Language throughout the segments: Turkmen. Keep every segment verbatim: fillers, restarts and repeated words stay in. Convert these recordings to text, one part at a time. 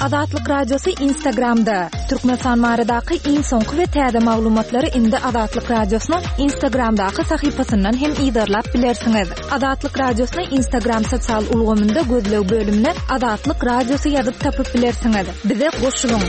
Azatlyk Radiosy Instagramda. Türkmenistan baradaky iň soňky we täze maglumatlary indi Azatlyk Radiosynyň Instagramdaky sahypasyndan hem yzarlap bilersiňiz. Azatlyk Radiosyny Instagram sosial ulgamynda gözleg bölümine Azatlyk Radiosy ýazyp tapyp bilersiňiz. Bize goşulyň.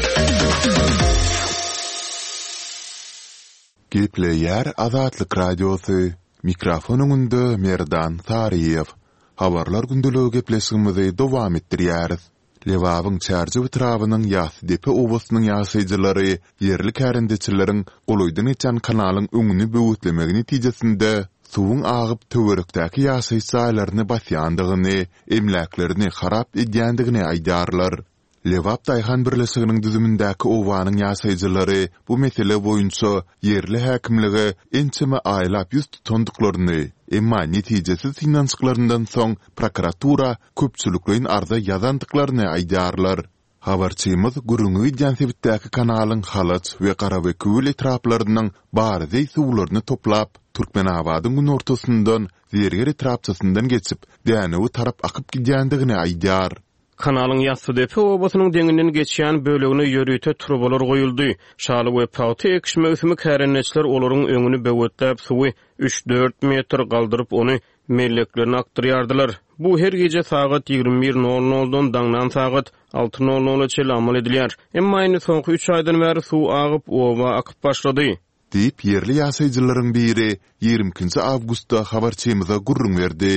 Gepleýär Azatlyk Radiosy, mikrofon öňünde Merdan Saryýew. Habarlar gündeligi gepleşigimizi dowam etdirýäris. Lebabyň Çärjew etrabynyň Ýassydepe obasynyň ýaşaýjylary ýerli kärendeçileriň golaýdan geçýän kanalyň öňüni böwetlemegi netijesinde suwuň agyp töwerekdäki ýaşaýyş jaýlaryny basýandygyny, emläklerini harap edýändigini aýdýarlar. Lebap daýhan birleşiginiň düzümindäki obanyň ýaşaýjylary bu mesele boýunça ýerli häkimlige ençeme aýlap ýüz tutandyklaryny, emma netijesiz synanyşyklaryndan soň prokuratura köpçülikleýin arza ýazandyklaryny aýdýarlar. Habarçymyz gürrüňi gidýän sebitdäki kanalyň Halaç we Garabekewül etraplarynyň bary zeý suwlaryny toplap, Türkmenabadyň günortasyndan Zerger etrapçasyndan geçip, Dänewe tarap akyp gidýändigini aýdýar. Kanalyň Ýassydepe obasynyň deňinden geçýän bölegine ýörite turbalar goýuldy. Şaly we pagta ekiş möwsümi kärendeçiler olaryň öňüni böwetläp, suwy üç-dört metr galdyryp, ony melleklerine akdyrýardylar. Bu her gije sagat ýigrimi bir nol noldan daňdan sagat alty nol nola çenli amal edilýär. Emma indi soňky üç aýdan bäri suw agyp, oba akyp başlady. Diýip, ýerli ýaşaýjylaryň biri ýigrimi ikinji awgustda habarçymyza gürrüň berdi.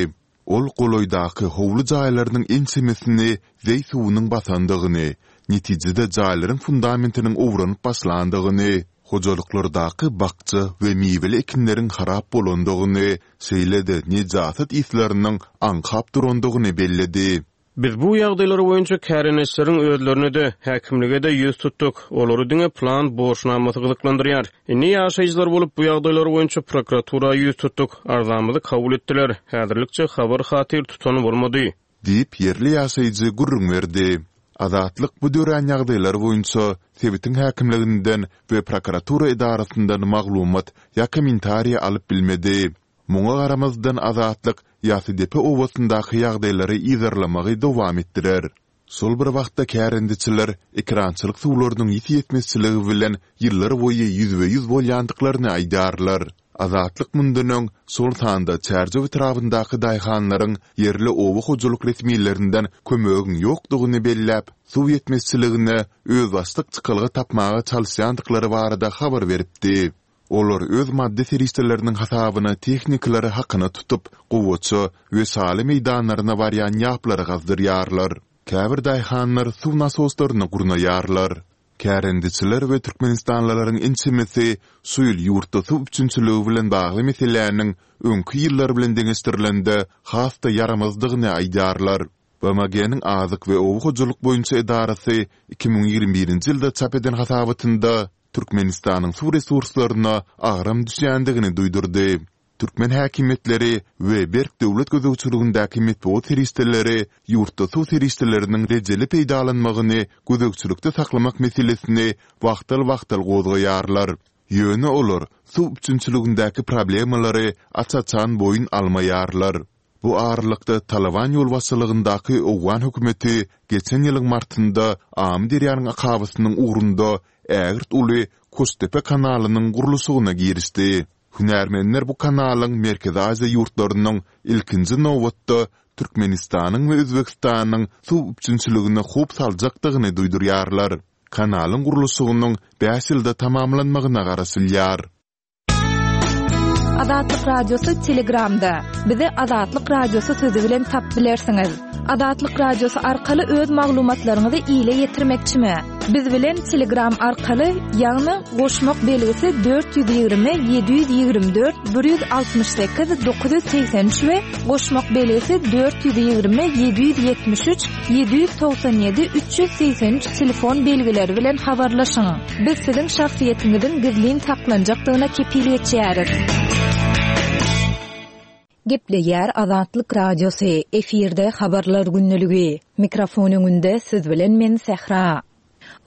Ol golaýdaky howly jaýlarynyň ençemesini zeý suwunyň basandygyny, netijede jaýlaryň fundamentiniň owranyp başlandygyny, hojalyklardaky bakja we miweli ekinleriň harap bolandygyny, şeýle-de nejasat yslarynyň aňkap durandygyny belledi. Biz bu ýagdaýlar boýunça kärendeçileriň özlerine-de, häkimlige-de ýüz tutduk. Olary diňe plan borçnamasy gyzyklandyrýar. Indi ýaşaýjylar bolup bu ýagdaýlar boýunça prokuratura ýüz tutduk. Arzamyzy kabul etdiler. Häzirlikçe habar-hatyr tutan bolmady. Diýip, ýerli ýaşaýjy gürrüň berdi. Azatlyk bu dörän ýagdaýlar boýunça sebitiň häkimliginden we prokuratura edarasyndan maglumat ýa kommentariý alyp bilmedi. Muňa garamazdan, Azatlyk Ýasydepe obasyndaky ýagdaýlary yzarlamagy dowam etdirer. Şol bir wagtda kärendeçiler ekerançylyk suwlarynyň ýiti ýetmezçiligi bilen ýyllarboýy ýüzbe-ýüz bolýandyklaryny aýdýarlar. Azatlyk mundan öň, şol sanda Çärjew etrabyndaky daýhanlaryň ýerli oba hojalyk resmilerinden kömegiň ýokdugyny belläp, suw ýetmezçiligine özbaşdak çykalga tapmaga çalyşýandyklary barada habar beripdi. Olar öz maddy serişdeleriniň hasabyna tehnikalary hakyna tutup, gowaça we şaly meýdanlaryna barýan ýaplary gazdyrýarlar. Käbir daýhanlar suw nasoslaryny gurnaýarlar. Kärendeçiler we türkmenistanlylaryň ençemesi şu ýyl ýurtda suw üpjünçiligi bilen bagly meseläniň öňki ýyllar bilen deňeşdirilende has-da ýaramazdygyny aýdýarlar. BMG-niň Azyk we oba hojalyk boýunça edarasy iki müň ýigrimi birinji ýylda çap eden hasabatynda Türkmenistanyň suw resurslaryna agram düşýändigini duýdurdy. Türkmen häkimiýetleri we berk döwlet gözegçiligindäki metbugat serişdeleri ýurtda suw serişdeleriniň rejeli peýdalanmagyny gözegçilikde saklamak meselesini wagtal-wagtal gozgaýarlar. Ýöne olar suw üpjünçiligindäki problemalary aç-açan boýun almaýarlar. Bu aralykda, Talyban ýolbaşçylygyndaky owgan hökümeti geçen ýylyň martynda Amyderýanyň akabasynyň ugrunda ägirt uly Koştepe kanalynyň gurluşygyna girişdi. Hünärmenler bu kanalyň Merkezi Aziýa ýurtlarynyň, ilkinji nobatda, Türkmenistanyň we Özbegistanyň suw üpjünçiligine howp saljakdygyny duýdurýarlar. Kanalyň gurluşygynyň bäş ýylda tamamlanmagyna garaşylýar. Azatlyk Radiosy Telegramda. Bizi Azatlyk Radiosy sözi bilen tapyp bilersiňiz. Azatlyk Radiosy arkaly öz maglumatlaryňyzy ile ýetirmekçimi? Biz bilen Telegram arkaly, ýagny goşmak belgisi dört ýüz ýigrimi ýedi ýüz ýigrimi dört bir ýüz altmyş sekiz dokuz ýüz segsen üç we goşmak belgisi dört ýüz ýigrimi ýedi ýüz ýetmiş üç ýedi ýüz togsan ýedi üç ýüz segsen üç telefon belgileri bilen habarlaşyň. Biz siziň şahsyýetiňiziň gizlin saklanjakdygyna kepil geçýäris. Gepleýär Azatlyk Radiosy, efirde Habarlar gündeligi. Mikrofon öňünde siz bilen men Sähra.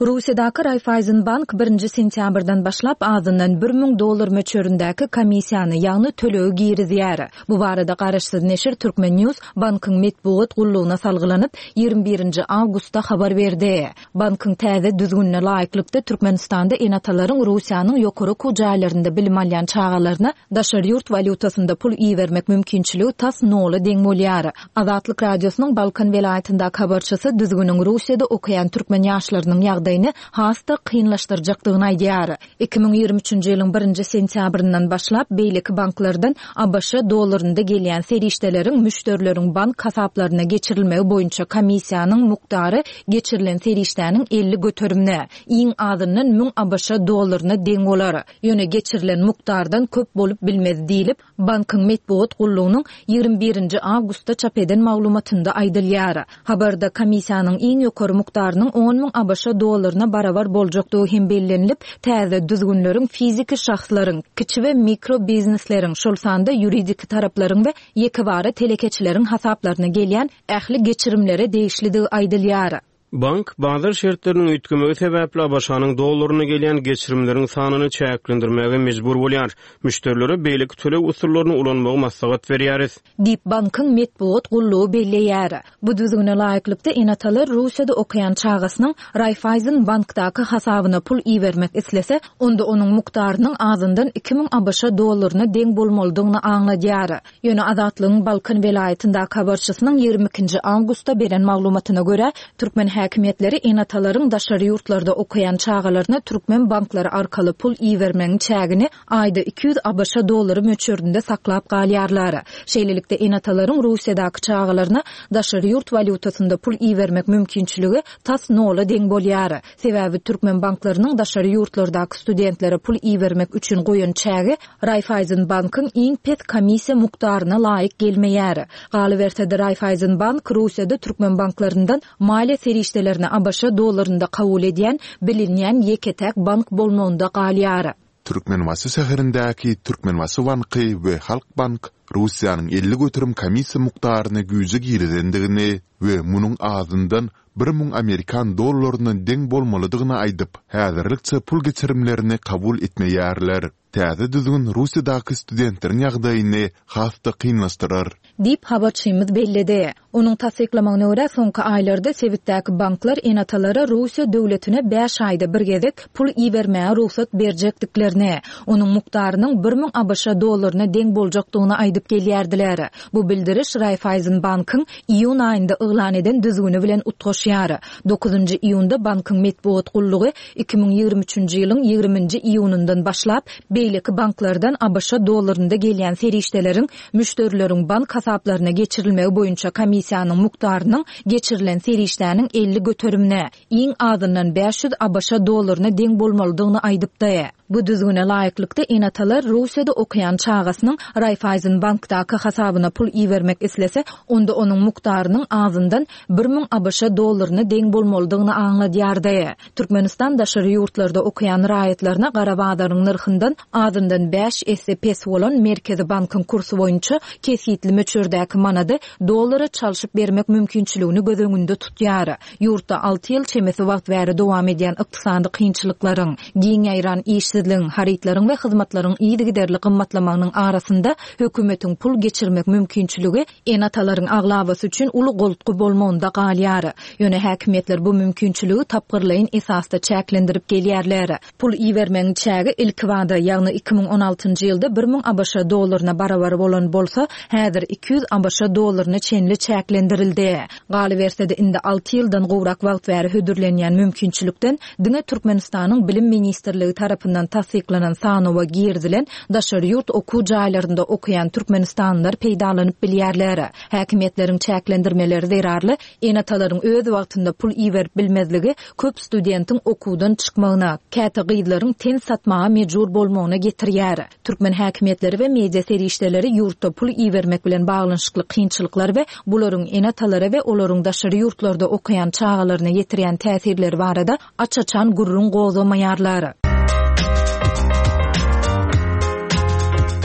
Russiýadaky Raiffeisenbank birinji sentýabrdan başlap azyndan bir müň dollar möçberindäki komissiýany, ýagny tölegi girizýär. Bu barada garaşsyz neşir Türkmen News bankyň metbugat gullugyna salgylanyp, ýigrimi birinji awgustda habar berdi. Bankyň täze düzgünine laýyklykda Türkmenistanda ene-atalaryň Russiýanyň ýokary okuw jaýlarynda bilim alýan çagalaryna daşary ýurt walýutasynda pul ibermek mümkinçiligi tas nola deň bolýar. Azatlyk Radiosynyň Balkan welaýatyndaky habarçysy düzgüniň Russiýada okaýan türkmen ýaşlarynyň ýagdaýyny has-da kynlaşdyrjakdygyny aýdýar. Iki müň ýigrimi üçünji ýylyň birinji sentýabryndan başlap beýleki banklardan A B Ş dollarynda gelýän serişdeleriň müşderileriň bank hasaplaryna geçirilmegi boýunça komissiýanyň mukdary geçirilen serişdäniň elli göterimine, iň azyndan müň A B Ş dollaryna deň bolar. Ýöne geçirilen mukdardan köp bolup bilmez diýlip, bankyň metbugat gullugynyň ýigrimi birinji awgustda çap eden maglumatynda aýdylýar. Habarda komissiýanyň iň ýokary mukdarynyň on müň A B Ş dollaryna barabar boljakdygy hem bellenilip, täze düzgünleriň fiziki şahslaryň, kiçi we mikro biznesleriň, şol sanda ýuridik taraplaryň we ýekebara telekeçileriň hasaplaryna gelýän ähli geçirimlere degişlidigi aýdylýar. Bank bazar şertleriniň üýtgemegi sebäpli A B Ş-nyň dollaryna gelýän geçirimleriň sanyny çäklendirmäge mejbur bolýar. Müşderilere beýleki töleg usullaryny ulanmagy maslahat berýäris. Diýip bankyň metbugat gullugy belleýär. Bu düzgüne laýyklykda ene-atalar Russiýada okaýan çagasynyň Raiffeisen bankdaky hasabyna pul ibermek islese, onda onuň mukdarynyň azyndan iki müň A B Ş dollaryna deň bolmalydygyny aňladýar. Ýöne Azatlygyň Balkan welaýatyndaky habarçysynyň ýigrimi ikinji awgustda beren maglumatyna görä, türkmen häkimiýetleri ene-atalaryň daşary ýurtlarda okaýan çagalaryna türkmen banklary arkaly pul ibermegiň çägini aýda iki ýüz A B Ş dollary möçberinde saklap galýarlar. Şeýlelikde ene-atalaryň Russiýadaky çagalaryna daşary ýurt walýutasynda pul ibermek mümkinçiligi tas nola deň bolýar. Sebäbi türkmen banklarynyň daşary ýurtlardaky studentlere pul ibermek üçin goýan çägi Raiffeisen bankyň iň pes komissiýa mukdaryna laýyk gelmeýär. Galyberse-de Raiffeisen bank Russiýada türkmen banklaryndan maliýe serişdelerini A B Ş dollarynda kabul edýän bilinýän ýeke-täk bank bolmagynda galýar. Türkmenbaşy şäherindäki Türkmenbaşy banky we Halk bank Russiýanyň elli göterim komissiýa mukdaryny güýje girizendigini we munuň azyndan bir müň amerikan dollaryna deň bolmalydygyny aýdyp, häzirlikçe pul geçirimlerini kabul etmeýärler. Täze düzgün Russiýadaky studentleriň ýagdaýyny has-da kynlaşdyrar. Diýip habarçymyz belledi. Onuň tassyklamagyna görä soňky aýlarda sebitdäki banklar ene-atalara Russiýa döwletine bäş aýda bir gezek pul ibermäge rugsat berjekdiklerini, onuň mukdarynyň bir müň A B Ş dollaryna deň boljakdygyny aýdyp gelýärdiler. Bu bildiriş Raiffeisen bankyň iýun aýynda yglan eden düzgüni bilen utgaşýar. Dokuzynjy iýunda bankyň metbugat gullugy iki müň ýigrimi üçünji ýylyň ýigriminji iýunyndan başlap beýleki banklardan A B Ş dollarynda gelýän serişdeleriň müşderileriň bank hasaplaryna geçirilmegi boýunça komissiýanyň mukdarynyň geçirilen serişdäniň elli göterimine, iň azyndan bäş ýüz A B Ş dollaryna deň bolmalydygyny aýdypdy. Bu düzgüne laýyklykda ene-atalar Russiýada okaýan çagasynyň Raiffeisen bankdaky hasabyna pul ibermek islese, onda onuň mukdarynyň azyndan bir müň A B Ş dollaryna deň bolmalydygyny aňladýardy. Türkmenistan daşary ýurtlarda okaýan raýatlaryna gara bazaryň nyrhyndan azyndan bäş esse pes bolan Merkezi bankyň kursy boýunça kesgitli möçberdäki manady dollara çalşyp bermek mümkinçiligini göz öňünde tutýar. Ýurtda alty ýyl çemesi wagt bäri dowam edýän ykdysady kynçylyklaryň, giň ýaýran işsizligiň, harytlaryň we hyzmatlaryň yzygiderli gymmatlamagynyň arasynda hökümetiň pul geçirmek mümkinçiligi ene-atalaryň aglabasy üçin uly goltgy bolmagynda galýar. Ýöne häkimiýetler bu mümkinçiligi tapgyrlaýyn esasda çäklendirip gelýärler. Pul ibermegiň çägi ilkibada, ýagny iki müň on altynjy ýylda bir müň A B Ş dollaryna barabar bolan bolsa, häzir iki ýüz A B Ş dollaryna çenli çäklendirildi. Galyberse-de indi alty ýyldan gowrak wagt bäri hödürlenýän mümkinçilikden diňe Türkmenistanyň Bilim Ministrligi tarapyndan tassyklanan sanawa girizilen daşary ýurt okuw jaýlarynda okaýan türkmenistanlylar peýdalanyp bilýärler. Häkimiýetleriň çäklendirmeleri zerarly ene-atalaryň öz wagtynda pul iberip bilmezligi köp studentiň okuwdan çykmagyna, käte gyzlaryň ten satmaga mejbur bolmagyna getirýär. Türkmen häkimiýetleri we media serişdeleri ýurtda pul ibermek bilen baglanyşykly kynçylyklar we bularyň ene-atalara we olaryň daşary ýurtlarda okaýan çagalaryna ýetirýän täsirleri barada aç-açan gürrüň gozgamaýarlar.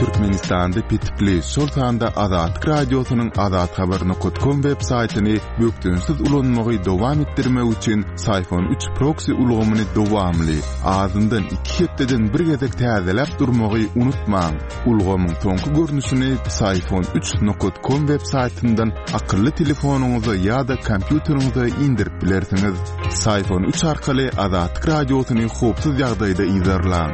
Türkmenistanda petikli, şol sanda Azatlyk Radiosynyň azathabar nokta com web saýtyny bökdençsiz ulanmagy dowam etdirmek üçin Syfon üç proksi ulgamyny dowamly, azyndan iki hepdeden bir gezek täzeläp durmagy unutmaň. Ulgamyň soňky görnüşini Syfon üç nokta com web saýtyndan akylly telefonyňyza ýa-da kompýuteriňize indirip bilersiňiz. Syfon üç arkaly Azatlyk Radiosyny howpsuz ýagdaýda yzarlaň.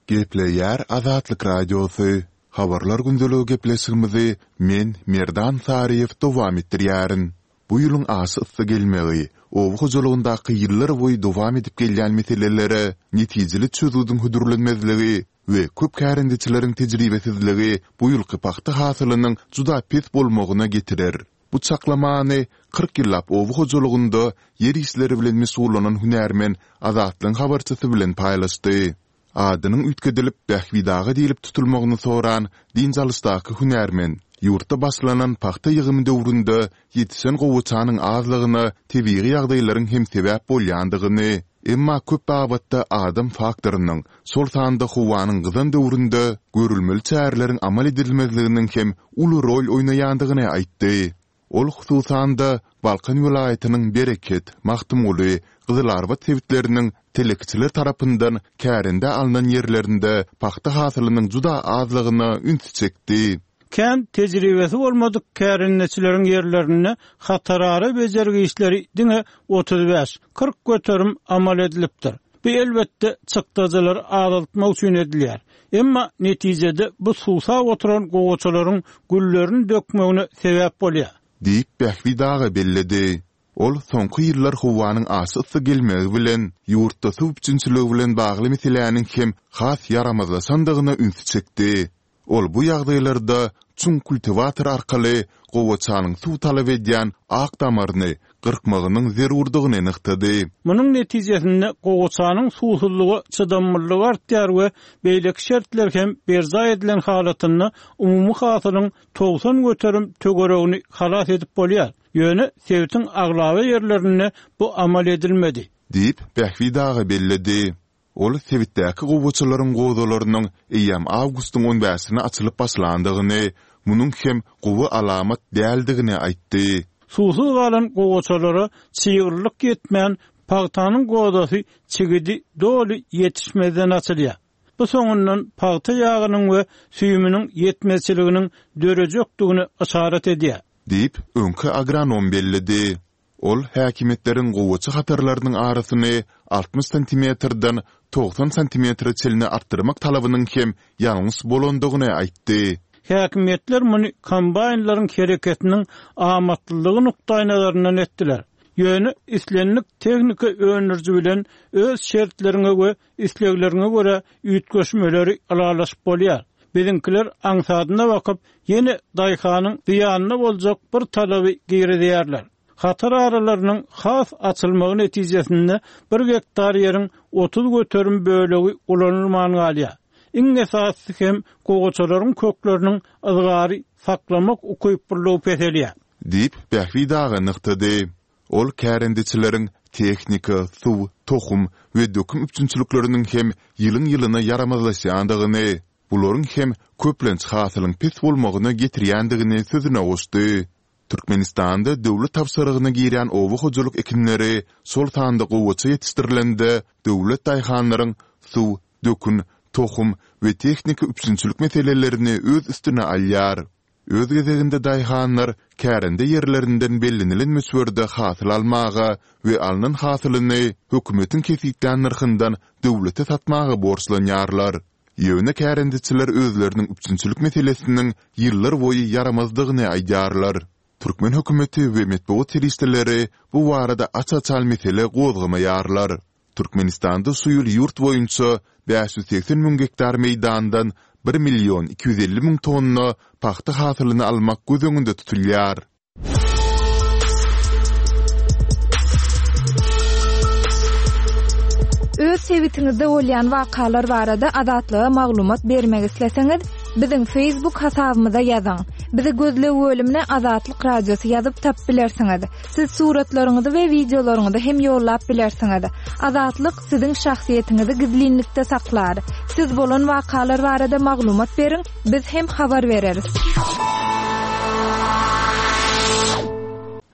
Gepleýär Azatlyk Radiosy. Habarlar gündeligi gepleşigimizi men Merdan Saryýew dowam etdirýärin. Bu ýylyň aşa yssy gelmegi, oba hojalygyndaky ýyllar boýy dowam edip gelýän meselelere netijeli çözgüdiň hödürlenmezligi we köp kärendeçileriň tejribesizligi bu ýylky pagta hasylynyň juda pes bolmagyna getirer. Bu çaklamany kyrk ýyllap oba hojalygynda ýer işleri bilen meşgullanan hünärmen Azatlygyň habarçysy bilen paýlaşdy. Adynyň üýtgedilip Bähbit aga diýlip tutulmagyny soran dynç alyşdaky hünärmen, ýurtda başlanan pagta ýygymy döwründe ýetişen gowaçanyň azlygyna tebigy ýagdaýlaryň hem sebäp bolýandygyny, emma köp babatda adam faktorynyň, şol sanda howanyň gyzan döwründe görülmeli çäreleriň amal edilmezliginiň hem uly rol oýnaýandygyny aýtdy. Ol hususan-da, Balkan welaýatynyň Bereket, Magtymguly, Gyzylarbat sebitleriniň telekeçiler tarapyndan kärendä alnan ýerlerinde pagta hasylynyň juda azlygyna ünsi çekdi. Kän tejribesi bolmadyk kärendeçileriň ýerlerinde hatarara bejergi işleri diňe otuz bäş, kyrk göterim amal edilipdir. Bu elbetde çykdajylary azaltmak üçin edilýär. Emma netijede bu suwsap oturan gowaçalaryň güllerini dökmegine sebäp bolýar. Diýip, Bähbit aga belledi. Ol soňky ýyllar howanyň aşa yssy gelmegi bilen, ýurtda suw üpjünçiligi bilen bagly meseläniň hem has ýaramazlaşandygyna ünsi çekdi. Ol bu ýagdaýlarda çuň kultiwator arkaly gowaçanyň suw talap edýän ak damaryny gyrkmagynyň zerurdygyny nygtady. Munuň netijesinde gowaçanyň suwsuzlyga çydamlylygy artýar we beýleki şertler hem berjaý edilen halatynda umumy hasylyň togsan göterim töweregini halas edip bolýar. Ýöne sebitiň aglaba ýerlerinde bu amal edilmedi. Diýip, Bähbit aga belledi. Ol sebitdäki gowaçalaryň gozalarynyň eýýäm awgustyň on bäşine açylyp başlandygyny, munuň hem gowy alamat däldigini aýtdy. Suwsuz galan gowaçalara çyglylyk ýetmän, pagtanyň gozasy çigidi doly ýetişmezden açylýar. Bu soňundan pagta ýagynyň we süýüminiň ýetmezçiliginiň dörejekdigini yşarat edýär. Diýip, öňki agronom belledi. Ol häkimiýetleriň gowaça hatarlarynyň arasyny altmyş santimetrden togsan santimetre çenli artdyrmak talabynyň hem ýalňyş bolandygyny aýtdy. Häkimiýetler muny kombaýnlaryň hereketiniň amatlylygy nukdaýnazaryndan etdiler. Ýöne islendik tehnika öndüriji bilen öz şertlerine we isleglerine görä üýtgeşmeleri ylalaşyp bolýar. Biziňkiler aňsadyna bakyp, ýene daýhanyň zyýanyna boljak bir talaby girizýärler. Hatar aralarynyň has açylmagy netijesinde bir gektar ýeriň otuz göterim bölegi ulanylman galýar. Iň esasy hem gowaçalaryň kökleriniň yzgary saklamak ukyplylygy peselýär. Diýip, Bähbit aga nygtady. Ol kärendeçileriň tehnika, suw, tohum we döküm üpjünçilikleriniň hem ýylyň-ýylyna ýaramazlaşýandygyny, bularyň hem köplenç hasylyň pes bolmagyna getirýändigini sözüne goşdy. Türkmenistanda döwlet tabşyrygyna girýän oba hojalyk ekinleri, şol sanda gowaça ýetişdirilende, döwlet daýhanlaryň suw, dökün, tohum we tehnika üpjünçilik meselelerini öz üstüne alýar. Öz gezeginde daýhanlar kärende ýerlerinden bellenilen möçberde hasyl almaga we alnan hasylyny hökümetiň kesgitlän nyrhyndan döwlete satmaga borçlanýarlar. Ýöne kärendeçiler özleriniň üpjünçilik meselesiniň ýyllar boýy ýaramazdygyny aýdýarlar. Türkmen hökümeti we metbugat serişdeleri bu barada aç-açan mesele gozgamaýarlar. Türkmenistanda şu ýyl ýurt boýunça bäş ýüz segsen müň gektar meýdandan bir million iki ýüz elli müň tonna pagta hasylyny almak göz öňünde tutulýar. Öz sebitiňizde bolýan wakalar barada Azatlyga maglumat bermek isleseňiz, biziň Facebook hasabymyza ýazyň. Bizi gözleg bölümine Azatlyk Radiosy ýazyp tapyp bilersiňiz. Siz suratlaryňyzy we wideolaryňyzy hem ýollap bilersiňiz. Azatlyk siziň şahsyýetiňizi gizlinlikde saklar. Siz bolan wakalar barada maglumat beriň, biz hem habar bereris.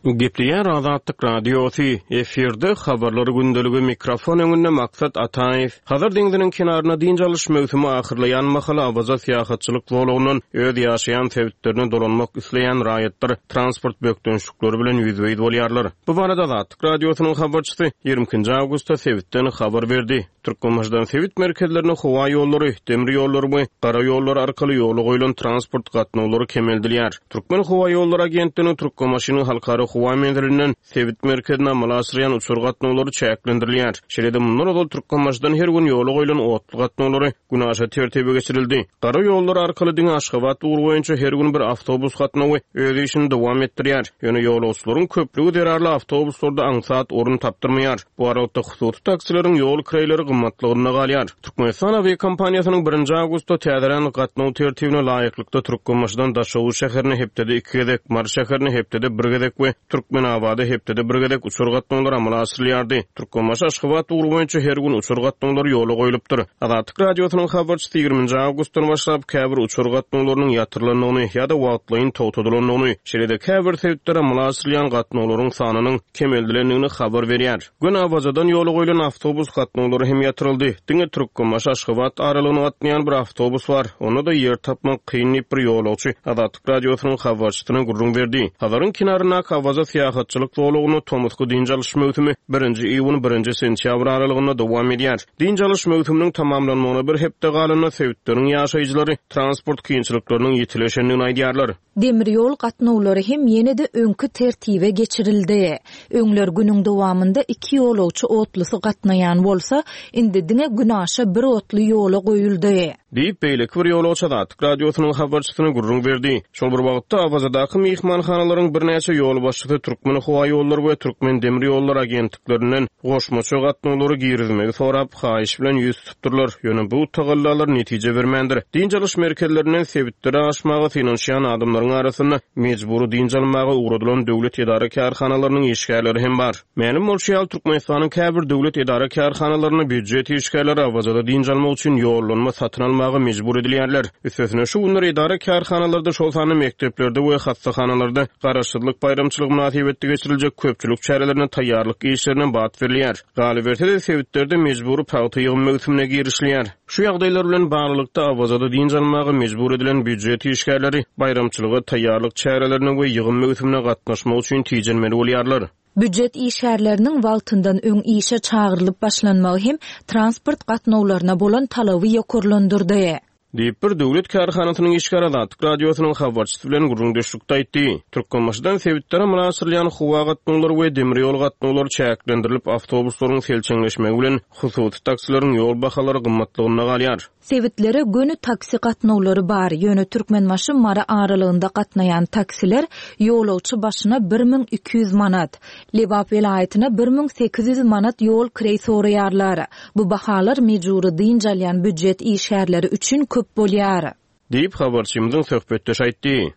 Gepleýär Azatlyk Radiosy, efirde habarlar gündeligi mikrofon öňünde Maksat Ataýew. Hazar deňziniň kenaryna dynç alyş möwsümi ahyrlaýan mahaly Awaza syýahatçylyk zolagyndan öz ýaşaýan sebitlerine dolanmak isleýän raýatlar transport bökdençlikleri bilen ýüzbe-ýüz bolýarlar. Bu barada Azatlyk Radiosynyň habarçysy ýigrimi ikinji awgustda sebitden habar berdi. Türkmenbaşydan sebit merkezlerine howa ýollary, demir ýollary we gara ýollary arkaly ýola goýlan transport gatnawlary kemeldilýär. Türkmen howa ýollary agentliginiň Türkmenbaşynyň halkara howa menzilinden sebit merkezine amala aşyrýan uçar gatnawlary çäklendirilýär. Şeýle-de mundan ozal Türkmenbaşydan her gün ýola goýlan otly gatnawlary günaşa tertibe geçirildi. Gara ýollar arkaly diňe Aşgabat ugry boýunça her gün bir awtobus gatnawy öz işini dowam etdirýär. Ýöne ýolagçylaryň köplügi zerarly awtobuslarda aňsat orun tapdyrmaýar. Bu aralykda hususy taksileriň ýol kireýleri gymmatlygynda galýar. Türkmenistan awiakompaniýasynyň birinji awgustda täzelän gatnaw tertibine laýyklykda Türkmenbaşydan Daşoguz şäherine hepdede iki gezek, Mary şäherine hepdede bir gezek we Türkmenabada hepdede bir gezek uçar gatnawlary amala aşyrylýardy. Türkmenbaşy Aşgabat ugry boýunça her gün uçar gatnawlary ýola goýlupdyr. Azatlyk Radiosynyň habarçysy ýigriminji awgustdan başlap käbir uçar gatnawlarynyň ýatyrylandygyny ýa-da wagtlaýyn togtadylandygyny, şeýle-de käbir sebitlere amala aşyrylýan gatnawlaryň sanynyň kemeldilendigini habar berýär. Gün Awazadan ýola goýlan awtobus gatnawlary hem ýatyryldy. Diňe Türkmenbaşy Aşgabat aralygyny gatnaýan bir awtobus bar. Onda da ýer tapmak kyn diýip bir ýolagçy Azatlyk Radiosynyň habarçysyna gürrüň berdi. Hazaryň kenaryndaky Awaza syýahatçylyk zolagynda tomusky dynç alyş möwsümi birinji iýun birinji sentýabr aralygynda dowam edýär. Dynç alyş möwsüminiň tamamlanmagyna bir hepde galanda sebitleriň ýaşaýjylary transport kynçylyklarynyň ýitileşendigini aýdýarlar. Demir ýol gatnawlary hem ýene-de öňki tertibe geçirildi. Öňler günüň dowamynda iki ýolagçy otlusy gatnaýan bolsa, indi diňe günaşa bir otly ýola goýuldy. Diýip beýleki bir ýolagçy Azatlyk Radiosynyň habarçysyna gürrüň berdi. Şol bir wagtda Awazadaky myhmanhanalaryň birnäçe ýolbaşçysy Türkmen howa ýollary we Türkmen demir ýollary agentliklerinden goşmaça gatnawlary girizmegi sorap haýyş bilen ýüz tutupdyrlar. Ýöne bu tagallalar netije bermändir. Dynç alyş merkezlerinden sebitlere aşmaga synanyşýan adamlaryň arasynda mejbury dynç almaga ugradylan döwlet edara kärhanalarynyň işgärleri hem bar. Mälim bolşy ýaly Türkmenistanyň käbir döwlet edara kärhanalaryna býujet işgärleri Awazada dynç almak üçin ýollanma satyn almaga mejbur edilýärler. Üstesine şu günler edara kärhanalarda, şol sanda mekdeplerde we hassahanalarda garaşsyzlyk baýramçylygy mynasybetli geçiriljek köpçülik çärelerine taýýarlyk işlerine bat berilýär. Galyberse-de sebitlerde mejbury pagta ýygym möwsümine girişilýär. Şu ýagdaýlar bilen baglylykda Awazada dynç almaga mejbur edilen býujet işgärleri baýramçylyga taýýarlyk çärelerine we ýygym möwsümine gatnaşmak üçin tijenmeli bolýarlar. Býujet işgärleriniň wagtyndan öň işe çagyrylyp başlanmagy hem transport gatnawlaryna bolan talaby ýokarlandyrdy. Diýip bir döwlet kärhanasynyň işgäri Azatlyk Radiosynyň habarçysy bilen gürrüňdeşlikde aýtdy. Türkmenbaşydan sebitlere amala aşyrylýan howa gatnawlary we demir ýol gatnawlary çäklendirilip, awtobuslaryň selçeňleşmegi bilen hususy taksileriň ýol bahalary gymmatlygynda galýar. Sebitlere göni taksi gatnawlary bar. Ýöne Türkmenbaşy Mary aralygynda gatnaýan taksiler ýolagçy başyna bir müň iki ýüz manat, Lebap welaýatyna bir müň sekiz ýüz manat ýol kireý soraýarlar. Bu bahalar mejbury dynç alýan býujet işgärleri üçin köp bolýar. Diýip habarçymyzyň söhbetdeşi aýtdy.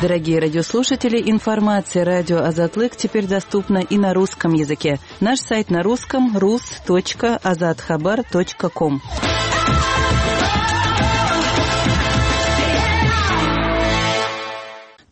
Дорогие радиослушатели, информация радио Азатлык теперь доступна и на русском языке. Наш сайт на русском рус точка азатхабар точка ком.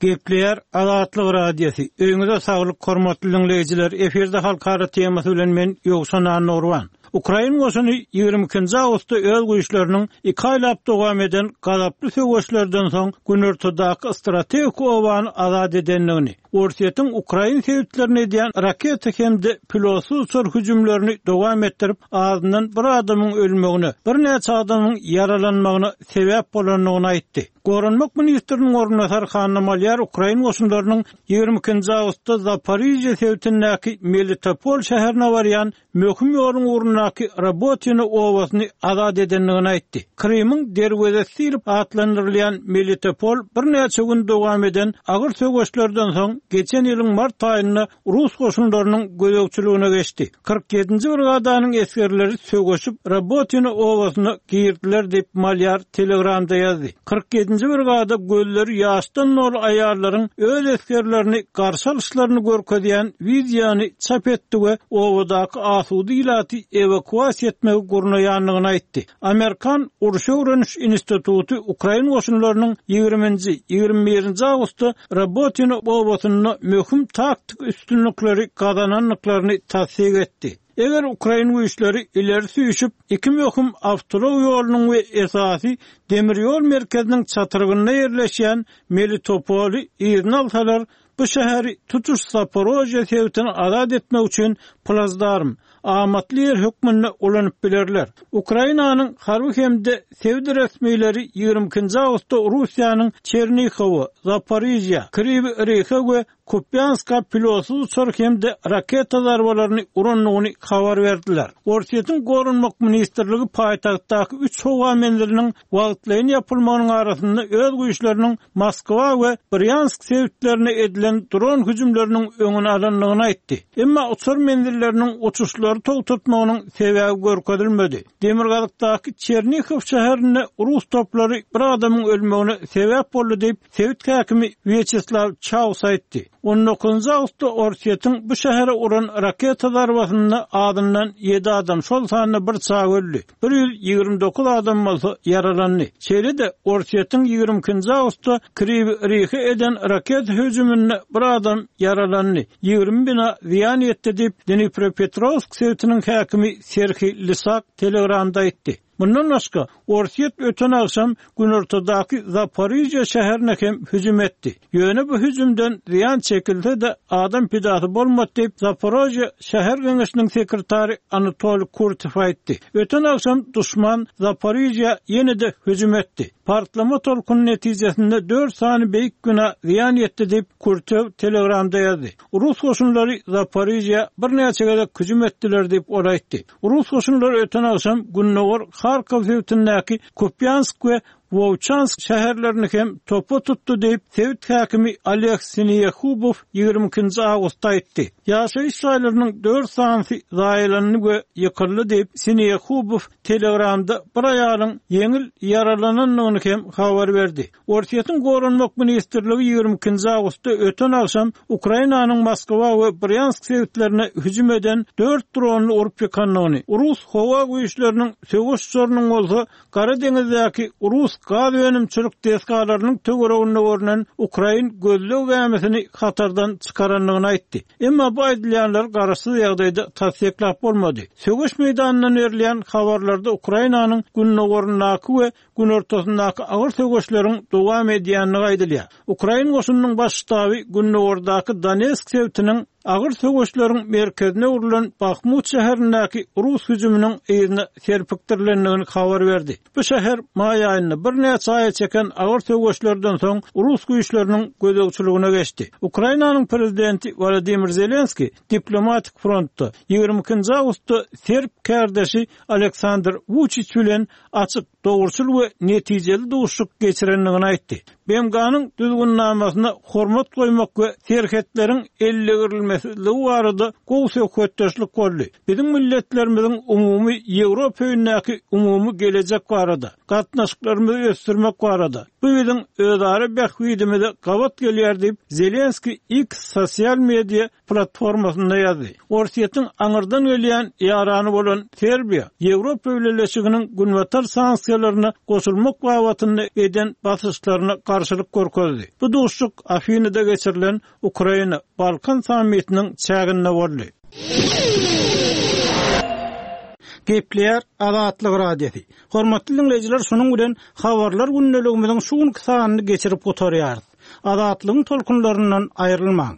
Gepleýär Azatlyk Radiosy. Öýüňize saglyk hormatly dinleýjiler. Efirde halkara temasy bilen men Ýowşan Annorwan. Ukrain goşuny ýigrimi ikinji awgustda öz güýçleriniň iki aýlap dowam eden gazaply söweşlerden soň günortadaky strategik obany azat edendigini, Orsýetiň Ukrain sebitlerine edýän raketa hem-de pilotsyz uçar hüjümlerini dowam etdirip, azyndan bir adamyň ölmegine, birnäçe adamyň ýaralanmagyna sebäp bolandygyny aýtdy. Goranmak ministriniň orunbasary Hanna Malýar Ukrain goşunlarynyň ýigrimi ikinji awgustda Zaporižýe sebitindäki Melitopol şäherine barýan möhüm ýoluň ugrundaky Robotino obasyny azat edendigini aýtdy. Krymyň derwezesi diýlip atlandyrylýan Melitopol birnäçe gün dowam eden agyr söweşlerden soň geçen ýylyň mart aýynda rus goşunlarynyň gözegçiligine geçdi. Kyrk ýedinji brigadanyň esgerleri söweşip Robotino obasyna girdiler diýip Malýar Telegramda ýazdy. Kyrk ýedinji brigada gözleri ýaşdan doly aýallaryň öz esgerlerini garşy alyşlaryny görkezýän wideony çap etdi we obadaky asuda ilaty ewakuasiýa etmegi gurnaýandygyny aýtdy. Amerikan Uruş öwreniş instituty Ukrain goşunlarynyň ýigriminji, ýigrimi birinji awgustda Robotino obasynda möhüm taktik üstünlikleri gazanandyklaryny tassyk etdi. Eger Ukrain güýçleri ileri süýşüp, iki möhüm awtoulag ýolunyň we esasy demir ýol merkeziniň çatyrygynda ýerleşýän Melitopoly yzyna alsalar, bu şäheri tutuş Zaporožýe sebitini azat etmek üçin plazdarm, amatly ýer hökmünde ulanyp bilerler. Ukrainanyň harby hem-de sebit resmileri ýigrimi ikinji awgustda Russiýanyň Çernihowa, Zaporižýa, Kriwi Riha we Kupýanska pilotsyz uçar hem-de raketa zarbalaryny urandygyny habar berdiler. Orsýetiň Goranmak ministrligi paýtagtdaky üç howa menziliniň wagtlaýyn ýapylmagynyň arasynda öz güýçleriniň Moskwa we Brýansk sebitlerine edilen dron hüjümleriniň öňüni alandygyny aýtdy. Emma uçar menzilleriniň uçuşlary togtatmagynyň sebäbi görkezilmedi. Demirgazykdaky Çernihow şäherinde rus toplary bir adamyň ölmegine sebäp boldy diýip, sebit häkimi Wýaçeslaw Çaus aýtdy. On dokuzynjy awgustda Orsýetiň bu şähere uran raketa zarbasynda azyndan ýedi adam, şol sanda bir çaga öldi. Bir ýüz ýigrimi dokuz adam bolsa ýaralandy. Şeýle-de Orsýetiň ýigrimi ikinji awgustda Kriwi Rihe eden raketa hüjüminde bir adam ýaralandy. Ýigrimi bina zyýan ýetdi diýip, Dnipropetrowsk sebitiniň häkimi Serhiý Lisak Telegramda aýtdy. Mundan başga, Orsýet öten agşam günortadaky Zaporižýe şäherine hem hüjüm etdi. Ýöne bu hüjümden zyýan çekilse-de adam pidasy bolmady diýip, Zaporižýe şäher geňeşiniň sekretary Anatoliy Kurtew aýtdy. Öten agşam duşman Zaporižýe ýene-de hüjüm etdi. Partlama tolkuny netijesinde dört sany beýik bina zyýan ýetdi diýip, Kurtew Telegramda ýazdy. Rus goşunlary Zaporižýe birnäçe gezek hüjüm etdiler diýip, ol aýtdy. Rus goşunlary öten agşam Gündogar Harkov sebitindäki Kupýansk we Wowçansk şäherlerini hem topa tutdy diýip, sebit häkimi Oleg Sinehubow ýigrimi ikinji awgustda aýtdy. Ýaşaýyş jaýlarynyň dört sanysy zaýalandy we ýykyldy diýip, Sinehubow Telegramda bir aýalyň ýeňil ýaralanandygyny hem habar berdi. Orsýetiň Goranmak ministrligi ýigrimi ikinji awgustda öten agşam Ukrainanyň Moskwa we Brýansk sebitlerine hüjüm eden dört drony urup ýykandygyny, rus howa güýçleriniň söweş uçarynyň bolsa Gara deňizdäki rus gaz önümçilik desgalarynyň töwereginde görnen ukrain gözleg gämisini hatardan çykarandygyny aýtdy. Emma bu aýdylýanlar garaşsyz ýagdaýda tassyklap bolmady. Söweş meýdanyndan berilýän habarlarda Ukrainanyň gündogaryndaky we günortasyndaky agyr söweşleriň dowam edýändigi aýdylýar. Ukrain goşunynyň baş ştaby gündogardaky Donetsk sebitiniň agyr söweşleriň merkezine öwrülen Bahmut şäherindäki rus hüjüminiň yzyna serpikdirilendigini habar berdi. Bu şäher maý aýynda birnäçe aýa çeken agyr söweşlerden soň rus güýçleriniň gözegçiligine geçdi. Ukrainanyň prezidenti Wladimir Zelenski diplomatik frontda ýigrimi ikinji awgustda serb kärdeşi Aleksandr Vučić bilen açyk, dogruçyl we netijeli duşuşyk geçirendigini aýtdy. B M G-nyň düzgünnamasyna hormat goýmak we serhetleriň ellegirilmesizligi barada gowy söhbetdeşlik boldy. Biziň milletlerimiziň umumy Ýewropa öýündäki umumy gelejek barada, gatnaşyklarymyzy ösdürmek barada, bu biziň özara bähbidimize gabat gelýär diýip, Zelenski X sosial media platformasynda ýazdy. Orsýetiň aňyrdan gelýän ýarany bolan Serbiýa, Ýewropa Bileleşiginiň günbatar sanksiýalaryna goşulmak babatynda eden basyşlaryna garşylyk görkezdi. Bu duşuşyk Afinada geçirilen Ukraina Balkan sammitiniň çäginde boldy. Gepleýär Azatlyk Radiosy. Hormatly dinleýjiler, şunuň bilen habarlar gündeligimiziň şu günki sanyny geçirip gutarýarys. Azatlygyň tolkunlaryndan aýrylmaň.